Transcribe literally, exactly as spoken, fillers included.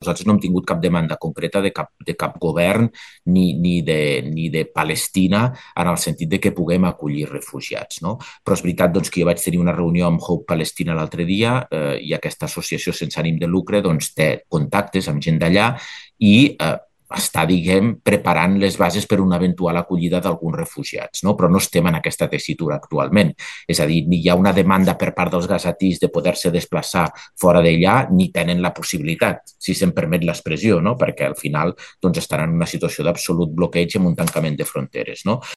Nosaltres no hem tingut cap demanda concreta de cap, de cap govern ni, ni, de, ni de Palestina en el sentit de que puguem acollir refugiats. No? Però és veritat doncs, que jo vaig tenir una reunió amb Hope Palestina l'altre dia eh, i aquesta associació sense ànim de lucre doncs, té contactes amb gent d'allà i eh, està, diguem, preparant les bases per una eventual acollida d'alguns refugiats, no? Però no estem en aquesta tessitura actualment. És a dir, ni hi ha una demanda per part dels gazatís de poder-se desplaçar fora d'allà, ni tenen la possibilitat, si se'n permet l'expressió, no? Perquè al final doncs, estaran en una situació d'absolut bloqueig amb un tancament de fronteres. No?